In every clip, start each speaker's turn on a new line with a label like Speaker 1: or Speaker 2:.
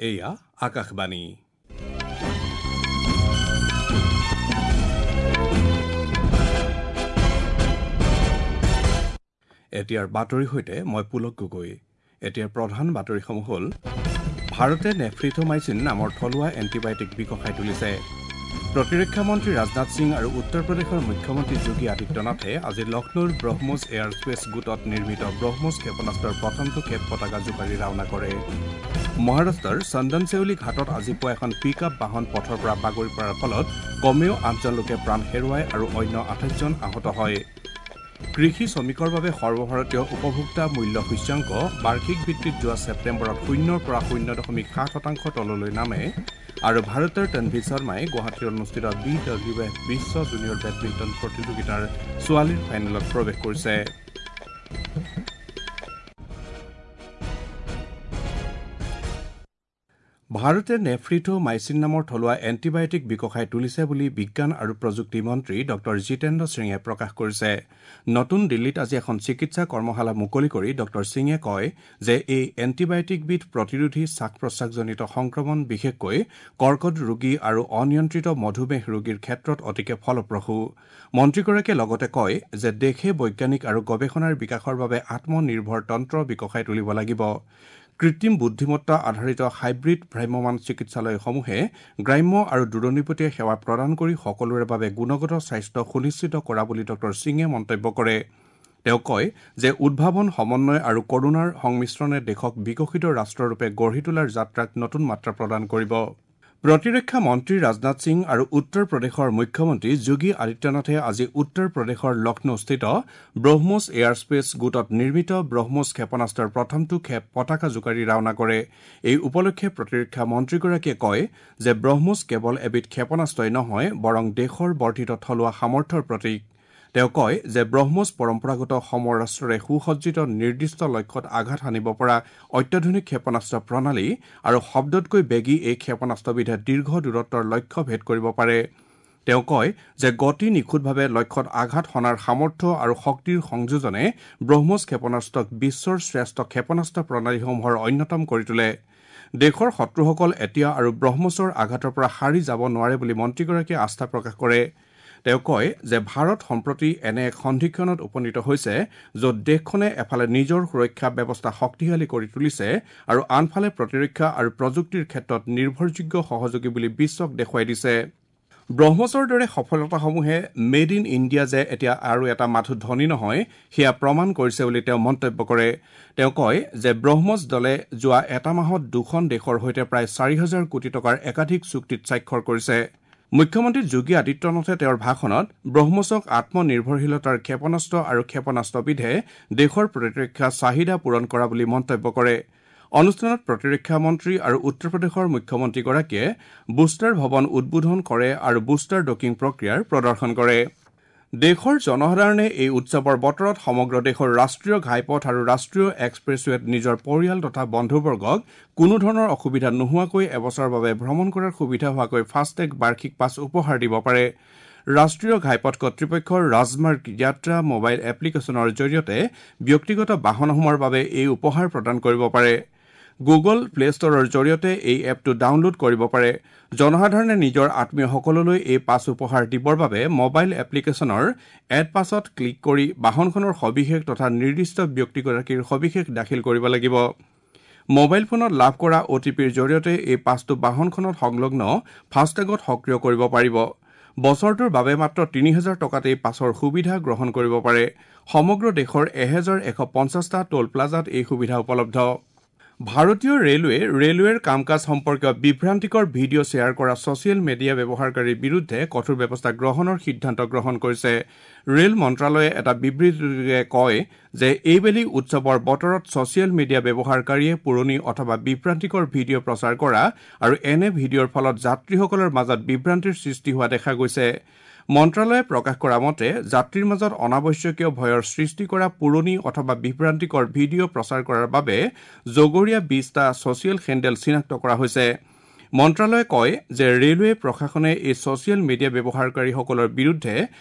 Speaker 1: এয়া আকাশবাণী। এতিয়াৰ বাতৰিৰ সৈতে মই পুলক গগৈ। এতিয়াৰ প্ৰধান বাতৰিসমূহ হ'ল: ভাৰতে নেফ্ৰিথোমাইচিন নামৰ থলুৱা এণ্টিবায়টিক বিকশাই তুলিছে। প্ৰতিৰক্ষা মন্ত্ৰী ৰাজনাথ সিং আৰু উত্তৰ প্ৰদেশৰ মুখ্যমন্ত্ৰী যোগী আদিত্যনাথে আজি লক্ষ্ণৌৰ ব্ৰহ্মোছ এয়াৰ স্পেচ গোটত নিৰ্মিত ব্ৰহ্মোছ ক্ষেপণাস্ত্ৰৰ প্ৰথমটো খেপ পতাকা জোকাৰি ৰাওনা কৰে। মহাৰাষ্ট্ৰৰ চন্দনচেউলি ঘাটত আজি পুৱা এখন পিক আপ বাহন পথৰ পৰা বাগৰি পৰাৰ ফলত কমেও ৮জন লোকে প্ৰাণ হেৰুৱায় আৰু অন্য ২৮জন আহত হয়। কৃষি শ্ৰমিকৰ বাবে সৰ্বভাৰতীয় উপভোক্তা মূল্য সূচ্যাংক বাৰ্ষিক ভিত্তিত যোৱা ছেপ্টেম্বৰত ০ৰ পৰা ০.৭% তললৈ নামে। আৰু ভাৰতৰ তনভি শৰ্মাই গুৱাহাটীত অনুষ্ঠিত BWF বিশ্ব জুনিয়ৰ বেডমিণ্টন প্ৰতিযোগিতাৰ ছোৱালীৰ ফাইনেলত প্ৰৱেশ কৰিছে। ভাৰতে নেফ্ৰিথোমাইচিন নামৰ থলুৱা এণ্টিবায়টিক বিকশাই তুলিছে বুলি বিজ্ঞান আৰু প্ৰযুক্তি মন্ত্ৰী ডঃ জিতেন্দ্ৰ সিঙে প্ৰকাশ কৰিছে। নতুন দিল্লীত আজি এখন চিকিৎসা কৰ্মশালা মুকলি কৰি ডঃ সিঙে কয় যে এই এণ্টিবায়টিকবিধ প্ৰতিৰোধী শ্বাস প্ৰশ্বাসজনিত সংক্ৰমণ, বিশেষকৈ কৰ্কট ৰোগী আৰু অনিয়ন্ত্ৰিত মধুমেহ ৰোগীৰ ক্ষেত্ৰত অতিকে ফলপ্ৰসূ। মন্ত্ৰীগৰাকীয়ে লগতে কয় যে দেশে বৈজ্ঞানিক আৰু গৱেষণাৰ বিকাশৰ বাবে আত্মনিৰ্ভৰ তন্ত্ৰ বিকশাই তুলিব লাগিব। কৃত্ৰিম বুদ্ধিমত্তা আধাৰিত হাইব্ৰিড ভ্ৰাম্যমাণ চিকিৎসালয়সমূহে গ্ৰাম্য আৰু দূৰণিবটীয়া সেৱা প্ৰদান কৰি সকলোৰে বাবে গুণগত স্বাস্থ্য সুনিশ্চিত কৰা বুলি ডঃ সিঙে মন্তব্য কৰে। তেওঁ কয় যে উদ্ভাৱন, সমন্বয় আৰু কৰুণাৰ সংমিশ্ৰণে দেশক বিকশিত ৰাষ্ট্ৰৰূপে গঢ়ি তোলাৰ যাত্ৰাক নতুন মাত্ৰা প্ৰদান কৰিব। প্ৰতিৰক্ষা মন্ত্ৰী ৰাজনাথ সিং আৰু উত্তৰ প্ৰদেশৰ মুখ্যমন্ত্ৰী যোগী আদিত্যনাথে আজি উত্তৰ প্ৰদেশৰ লক্ষ্ণৌস্থিত ব্ৰহ্মোছ এয়াৰ স্পেচ গোটত নিৰ্মিত ব্ৰহ্মোছ ক্ষেপণাস্ত্ৰৰ প্ৰথমটো খেপ পতাকা জোকাৰি ৰাওনা কৰে। এই উপলক্ষে প্ৰতিৰক্ষা মন্ত্ৰীগৰাকীয়ে কয় যে ব্ৰহ্মোছ কেৱল এবিধ ক্ষেপণাস্ত্ৰই নহয়, বৰং দেশৰ বৰ্ধিত থলুৱা সামৰ্থ্যৰ প্ৰতীক। তেওঁ কয় যে ব্ৰহ্মোছ পৰম্পৰাগত সমৰাস্ত্ৰৰে সুসজ্জিত নিৰ্দিষ্ট লক্ষ্যত আঘাত হানিব পৰা অত্যাধুনিক ক্ষেপণাস্ত্ৰ প্ৰণালী আৰু শব্দতকৈ বেগী এই ক্ষেপণাস্ত্ৰবিধে দীৰ্ঘ দূৰত্বৰ লক্ষ্য ভেদ কৰিব পাৰে। তেওঁ কয় যে গতি, নিখুঁতভাৱে লক্ষ্যত আঘাত হনাৰ সামৰ্থ্য আৰু শক্তিৰ সংযোজনে ব্ৰহ্মোছ ক্ষেপণাস্ত্ৰক বিশ্বৰ শ্ৰেষ্ঠ ক্ষেপণাস্ত্ৰ প্ৰণালীসমূহৰ অন্যতম কৰি তোলে। দেশৰ শত্ৰুসকল এতিয়া আৰু ব্ৰহ্মোছৰ আঘাতৰ পৰা সাৰি যাব নোৱাৰে বুলি মন্ত্ৰীগৰাকীয়ে আস্থা প্ৰকাশ কৰে। তেওঁ কয় যে ভাৰত সম্প্ৰতি এনে এক সন্ধিক্ষণত উপনীত হৈছে য'ত দেশখনে এফালে নিজৰ সুৰক্ষা ব্যৱস্থা শক্তিশালী কৰি তুলিছে আৰু আনফালে প্ৰতিৰক্ষা আৰু প্ৰযুক্তিৰ ক্ষেত্ৰত নিৰ্ভৰযোগ্য সহযোগী বুলি বিশ্বক দেখুৱাই দিছে। ব্ৰহ্মোছৰ দৰে সফলতাসমূহে মেড ইন ইণ্ডিয়া যে এতিয়া আৰু এটা মাথো ধ্বনি নহয়, সেয়া প্ৰমাণ কৰিছে বুলি তেওঁ মন্তব্য কৰে। তেওঁ কয় যে ব্ৰহ্মোছ দলে যোৱা এটা মাহত দুখন দেশৰ সৈতে প্ৰায় ৪,০০০ কোটি টকাৰ একাধিক চুক্তিত স্বাক্ষৰ কৰিছে। মুখ্যমন্ত্ৰী যোগী আদিত্যনাথে তেওঁৰ ভাষণত ব্ৰহ্মোছক আত্মনিৰ্ভৰশীলতাৰ ক্ষেপণাস্ত্ৰ আৰু ক্ষেপণাস্ত্ৰবিধে দেশৰ প্ৰতিৰক্ষা চাহিদা পূৰণ কৰা বুলি মন্তব্য কৰে। অনুষ্ঠানত প্ৰতিৰক্ষা মন্ত্ৰী আৰু উত্তৰ প্ৰদেশৰ মুখ্যমন্ত্ৰীগৰাকীয়ে বুষ্টাৰ ভৱন উদ্বোধন কৰে আৰু বুষ্টাৰ ডকিং প্ৰক্ৰিয়াৰ প্ৰদৰ্শন কৰে। দেশৰ জনসাধাৰণে এই উৎসৱৰ বতৰত সমগ্ৰ দেশৰ ৰাষ্ট্ৰীয় ঘাইপথ আৰু ৰাষ্ট্ৰীয় এক্সপ্ৰেছৱেত নিজৰ পৰিয়াল তথা বন্ধুবৰ্গক কোনো ধৰণৰ অসুবিধা নোহোৱাকৈ এবছৰৰ বাবে ভ্ৰমণ কৰাৰ সুবিধা হোৱাকৈ ফাষ্টেগ বাৰ্ষিক পাছ উপহাৰ দিব পাৰে। ৰাষ্ট্ৰীয় ঘাইপথ কৰ্তৃপক্ষৰ ৰাজমাৰ্গ যাত্ৰা মোবাইল এপ্লিকেশ্যনৰ জৰিয়তে ব্যক্তিগত বাহনসমূহৰ বাবে এই উপহাৰ প্ৰদান কৰিব পাৰে। গুগল প্লে ষ্টৰৰ জৰিয়তে এই এপটো ডাউনলোড কৰিব পাৰে। জনসাধাৰণে নিজৰ আত্মীয়সকললৈ এই পাছ উপহাৰ দিবৰ বাবে মোবাইল এপ্লিকেশ্যনৰ এড পাছত ক্লিক কৰি বাহনখনৰ সবিশেষ তথা নিৰ্দিষ্ট ব্যক্তিগৰাকীৰ সবিশেষ দাখিল কৰিব লাগিব। মোবাইল ফোনত লাভ কৰা অ'টিপিৰ জৰিয়তে এই পাছটো বাহনখনত সংলগ্ন ফাষ্টেগত সক্ৰিয় কৰিব পাৰিব। বছৰটোৰ বাবে মাত্ৰ ৩,০০০ টকাত এই পাছৰ সুবিধা গ্ৰহণ কৰিব পাৰে। সমগ্ৰ দেশৰ ১,১৫০টা টোল প্লাজাত এই সুবিধা উপলব্ধ। ভাৰতীয় ৰেলৱে ৰেলৱেৰ কাম কাজ সম্পৰ্কীয় বিভ্ৰান্তিকৰ ভিডিঅ' শ্বেয়াৰ কৰা ছ'চিয়েল মিডিয়া ব্যৱহাৰকাৰীৰ বিৰুদ্ধে কঠোৰ ব্যৱস্থা গ্ৰহণৰ সিদ্ধান্ত গ্ৰহণ কৰিছে। ৰেল মন্ত্ৰালয়ে এটা বিবৃতিযোগে কয় যে এইবেলি উৎসৱৰ বতৰত ছ'চিয়েল মিডিয়া ব্যৱহাৰকাৰীয়ে পুৰণি অথবা বিভ্ৰান্তিকৰ ভিডিঅ' প্ৰচাৰ কৰা আৰু এনে ভিডিঅ'ৰ ফলত যাত্ৰীসকলৰ মাজত বিভ্ৰান্তিৰ সৃষ্টি হোৱা দেখা গৈছে। মন্ত্ৰালয়ে প্ৰকাশ কৰা মতে যাত্ৰীৰ মাজত অনাৱশ্যকীয় ভয়ৰ সৃষ্টি কৰা পুৰণি অথবা বিভ্ৰান্তিকৰ ভিডিঅ' প্ৰচাৰ কৰাৰ বাবে জগৰীয়া ২০টা ছ'চিয়েল হেণ্ডেল চিনাক্ত কৰা হৈছে। মন্ত্ৰালয়ে কয় যে ৰেলৱে প্ৰশাসনে এই ছচিয়েল মিডিয়া ব্যৱহাৰকাৰীসকলৰ বিৰুদ্ধে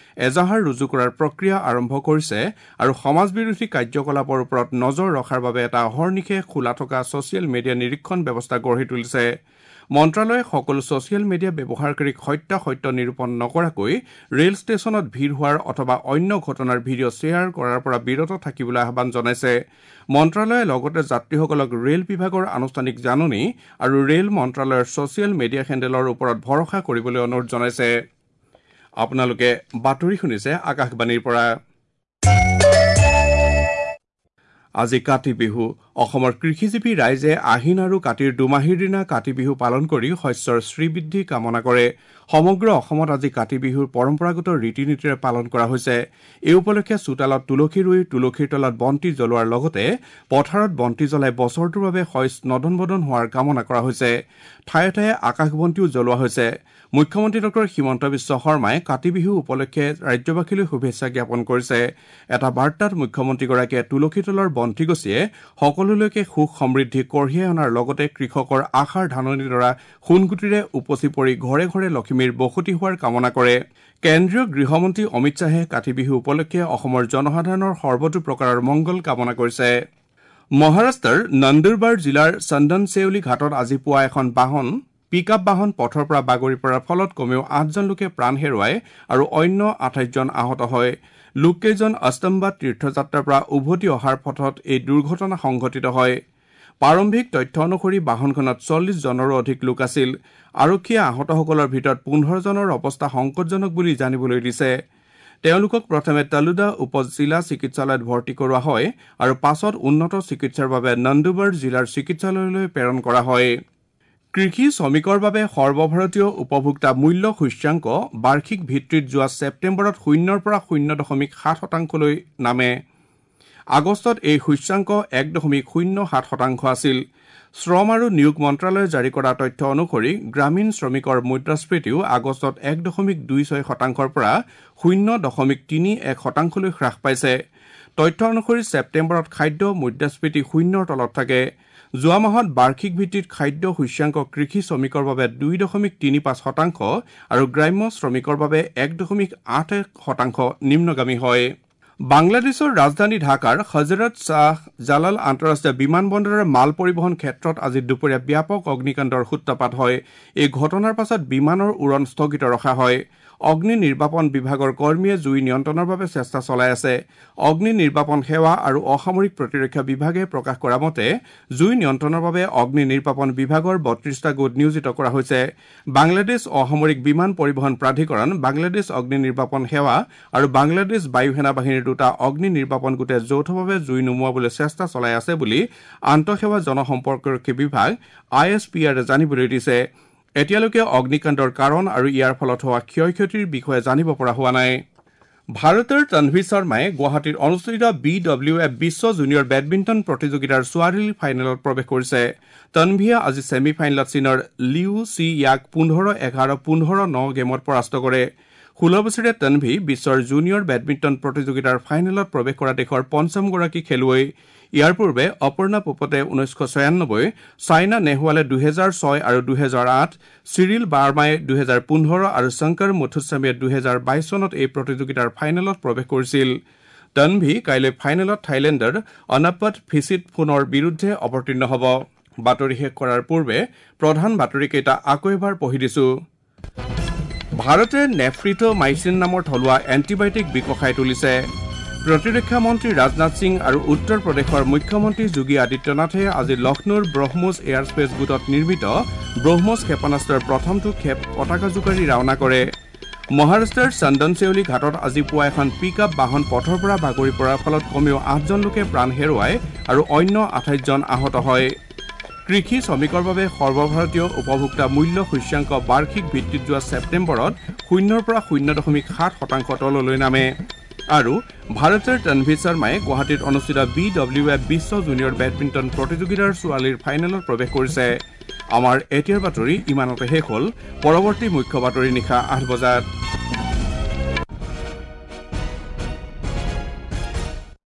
Speaker 1: এজাহাৰ ৰুজু কৰাৰ প্ৰক্ৰিয়া আৰম্ভ কৰিছে আৰু সমাজবিৰোধী কাৰ্যকলাপৰ ওপৰত নজৰ ৰখাৰ বাবে এটা অহৰ্নিশে খোলা থকা ছচিয়েল মিডিয়া নিৰীক্ষণ ব্যৱস্থা গঢ়ি তুলিছে। মন্ত্ৰালয়ে সকলো ছচিয়েল মিডিয়া ব্যৱহাৰকাৰীক সত্যাসত্য নিৰূপণ নকৰাকৈ ৰেল ষ্টেচনত ভিৰ হোৱাৰ অথবা অন্য ঘটনাৰ ভিডিঅ' শ্বেয়াৰ কৰাৰ পৰা বিৰত থাকিবলৈ আহ্বান জনাইছে। মন্ত্ৰালয়ে লগতে যাত্ৰীসকলক ৰেল বিভাগৰ আনুষ্ঠানিক জাননী আৰু ৰেল মন্ত্ৰালয়ৰ ছচিয়েল মিডিয়া হেণ্ডেলৰ ওপৰত ভৰসা কৰিবলৈ অনুৰোধ জনাইছে। আপোনালোকে বাতৰি শুনিছে আকাশবাণীৰ পৰা। আজি কাতি বিহু। অসমৰ কৃষিজীৱী ৰাইজে আহিন আৰু কাতিৰ দুমাহীৰ দিনা কাতি বিহু পালন কৰি শস্যৰ শ্ৰীবৃদ্ধি কামনা কৰে। সমগ্ৰ অসমত আজি কাতি বিহুৰ পৰম্পৰাগত ৰীতি নীতিৰে পালন কৰা হৈছে। এই উপলক্ষে চোতালত তুলসী ৰুই তুলসীৰ তলত বন্তি জ্বলোৱাৰ লগতে পথাৰত বন্তি জ্বলাই বছৰটোৰ বাবে শইচ নদন বদন হোৱাৰ কামনা কৰা হৈছে। ঠায়ে ঠায়ে আকাশ বন্তিও জ্বলোৱা হৈছে। মুখ্যমন্ত্ৰী ডক্টৰ হিমন্ত বিশ্ব শৰ্মাই কাতি বিহু উপলক্ষে ৰাজ্যবাসীলৈ শুভেচ্ছা জ্ঞাপন কৰিছে। এটা বাৰ্তাত মুখ্যমন্ত্ৰীগৰাকীয়ে তুলসী তলৰ বন্তি গছিয়ে সকলোলৈকে সুখ সমৃদ্ধি কঢ়িয়াই অনাৰ লগতে কৃষকৰ আশাৰ ধাননিডৰা সোণগুটিৰে উপচি পৰি ঘৰে ঘৰে লখিমীৰ বসতি হোৱাৰ কামনা কৰে। কেন্দ্ৰীয় গৃহমন্ত্ৰী অমিত শ্বাহে কাতি বিহু উপলক্ষে অসমৰ জনসাধাৰণৰ সৰ্বতো প্ৰকাৰৰ মংগল কামনা কৰিছে। মহাৰাষ্ট্ৰৰ নন্দুৰবাৰ জিলাৰ চন্দনচেউলি ঘাটত আজি পুৱা এখন বাহন পিক আপ বাহন পথৰ পৰা বাগৰি পৰাৰ ফলত কমেও ৮জন লোকে প্ৰাণ হেৰুৱায় আৰু অন্য ২৮জন আহত হয়। লোককেইজন অস্তম্বাদ তীৰ্থযাত্ৰাৰ পৰা উভতি অহাৰ পথত এই দুৰ্ঘটনা সংঘটিত হয়। প্ৰাৰম্ভিক তথ্য অনুসৰি বাহনখনত ৪০ জনৰো অধিক লোক আছিল। আৰক্ষীয়ে আহতসকলৰ ভিতৰত ১৫ জনৰ অৱস্থা সংকটজনক বুলি জানিবলৈ দিছে। তেওঁলোকক প্ৰথমে তালুদা উপ জিলা চিকিৎসালয়ত ভৰ্তি কৰোৱা হয় আৰু পাছত উন্নত চিকিৎসাৰ বাবে নন্দুবাৰ জিলাৰ চিকিৎসালয়লৈ প্ৰেৰণ কৰা হয়। কৃষি শ্ৰমিকৰ বাবে সৰ্বভাৰতীয় উপভোক্তা মূল্য সূচ্যাংক বাৰ্ষিক ভিত্তিত যোৱা ছেপ্টেম্বৰত ০ৰ পৰা ০.৭ শতাংশলৈ নামে। আগষ্টত এই সূচ্যাংক ১.০৭ শতাংশ আছিল। শ্ৰম আৰু নিয়োগ মন্ত্ৰালয়ে জাৰি কৰা তথ্য অনুসৰি গ্ৰামীণ শ্ৰমিকৰ মুদ্ৰাস্ফীতিও আগষ্টত ১.২৬ শতাংশৰ পৰা ০.৩১ শতাংশলৈ হ্ৰাস পাইছে। তথ্য অনুসৰি ছেপ্টেম্বৰত খাদ্য মুদ্ৰাস্ফীতি ০ৰ তলত থাকে। যোৱা মাহত বাৰ্ষিক ভিত্তিত খাদ্য সূচ্যাংক কৃষি শ্ৰমিকৰ বাবে ২.৩৫ শতাংশ আৰু গ্ৰাম্য শ্ৰমিকৰ বাবে ১.৮১ শতাংশ নিম্নগামী হয়। বাংলাদেশৰ ৰাজধানী ঢাকাৰ হজৰত শ্বাহ জালাল আন্তঃৰাষ্ট্ৰীয় বিমানবন্দৰৰ মাল পৰিবহণ ক্ষেত্ৰত আজি দুপৰীয়া ব্যাপক অগ্নিকাণ্ডৰ সূত্ৰপাত হয়। এই ঘটনাৰ পাছত বিমানৰ উৰণ স্থগিত ৰখা হয়। অগ্নি নিৰ্বাপন বিভাগৰ কৰ্মীয়ে জুই নিয়ন্ত্ৰণৰ বাবে চেষ্টা চলাই আছে। অগ্নি নিৰ্বাপন সেৱা আৰু অসামৰিক প্ৰতিৰক্ষা বিভাগে প্ৰকাশ কৰা মতে জুই নিয়ন্ত্ৰণৰ বাবে অগ্নি নিৰ্বাপন বিভাগৰ ৩২টা গোট নিয়োজিত কৰা হৈছে। বাংলাদেশ অসামৰিক বিমান পৰিবহণ প্ৰাধিকৰণ, বাংলাদেশ অগ্নি নিৰ্বাপন সেৱা আৰু বাংলাদেশ বায়ু সেনা বাহিনীৰ দুটা অগ্নি নিৰ্বাপন গোটে যৌথভাৱে জুই নুমুৱাবলৈ চেষ্টা চলাই আছে বুলি আন্তঃসেৱা জনসম্পৰ্কৰক্ষী বিভাগ ISPR-এ জানিবলৈ দিছে। এতিয়ালৈকে অগ্নিকাণ্ডৰ কাৰণ আৰু ইয়াৰ ফলত হোৱা ক্ষয় ক্ষতিৰ বিষয়ে জানিব পৰা হোৱা নাই। ভাৰতৰ তনভি শৰ্মাই গুৱাহাটীত অনুষ্ঠিত BWF বিশ্ব জুনিয়ৰ বেডমিণ্টন প্ৰতিযোগিতাৰ ছোৱালীৰ ফাইনেলত প্ৰৱেশ কৰিছে। তনভিয়ে আজি ছেমি ফাইনেলত চীনৰ লিউ চি ইয়াক ১৫-১১, ১৫-৯ গেমত পৰাস্ত কৰে। ১৬ বছৰীয়া তনভি বিশ্বৰ জুনিয়ৰ বেডমিণ্টন প্ৰতিযোগিতাৰ ফাইনেলত প্ৰৱেশ কৰা দেশৰ পঞ্চমগৰাকী খেলুৱৈ। ইয়াৰ পূৰ্বে অপৰ্ণা পোপটে ১৯৯৬, ছাইনা নেহৱালে ২০০৬ আৰু ২০০৮, চিৰিল বাৰ্মাই ২০১৫ আৰু শংকৰ মুথুস্বামীয়ে ২০২২ চনত এই প্ৰতিযোগিতাৰ ফাইনেলত প্ৰৱেশ কৰিছিল। তনভি কাইলৈ ফাইনেলত থাইলেণ্ডৰ অনাপট ফিচিটফোনৰ বিৰুদ্ধে অৱতীৰ্ণ হ'ব। বাতৰি শেষ কৰাৰ পূৰ্বে প্ৰধান বাতৰিকেইটা আকৌ এবাৰ পঢ়ি দিছো। ভাৰতে নেফ্ৰিট'মাইচিন নামৰ থলুৱা এণ্টিবায়টিক বিকশাই তুলিছে। প্ৰতিৰক্ষা মন্ত্ৰী ৰাজনাথ সিং আৰু উত্তৰ প্ৰদেশৰ মুখ্যমন্ত্ৰী যোগী আদিত্যনাথে আজি লক্ষ্ণৌৰ ব্ৰহ্মোছ এয়াৰস্পেচ গোটত নিৰ্মিত ব্ৰহ্মোছ ক্ষেপণাস্ত্ৰৰ প্ৰথমটো ক্ষেপ পতাকা জোকাৰি ৰাওনা কৰে। মহাৰাষ্ট্ৰৰ চন্দনচেউলি ঘাটত আজি পুৱা এখন পিক আপ বাহন পথৰ পৰা বাগৰি পৰাৰ ফলত কমেও ৮জন লোকে প্ৰাণ হেৰুৱায় আৰু অন্য ২৮জন আহত হয়। কৃষি শ্ৰমিকৰ বাবে সৰ্বভাৰতীয় উপভোক্তা মূল্য সূচ্যাংক বাৰ্ষিক ভিত্তিত যোৱা ছেপ্টেম্বৰত ০ৰ পৰা ০.৭ শতাংশ তললৈ নামে। আৰু ভাৰতৰ তনভি শৰ্মাই গুৱাহাটীত অনুষ্ঠিত BWF বিশ্ব জুনিয়ৰ বেডমিণ্টন প্ৰতিযোগিতাৰ ছোৱালীৰ ফাইনেলত প্ৰৱেশ কৰিছে। আমাৰ এতিয়াৰ বাতৰি ইমানতে শেষ হ'ল। পৰৱৰ্তী মুখ্য বাতৰি নিশা ৮ বজাত।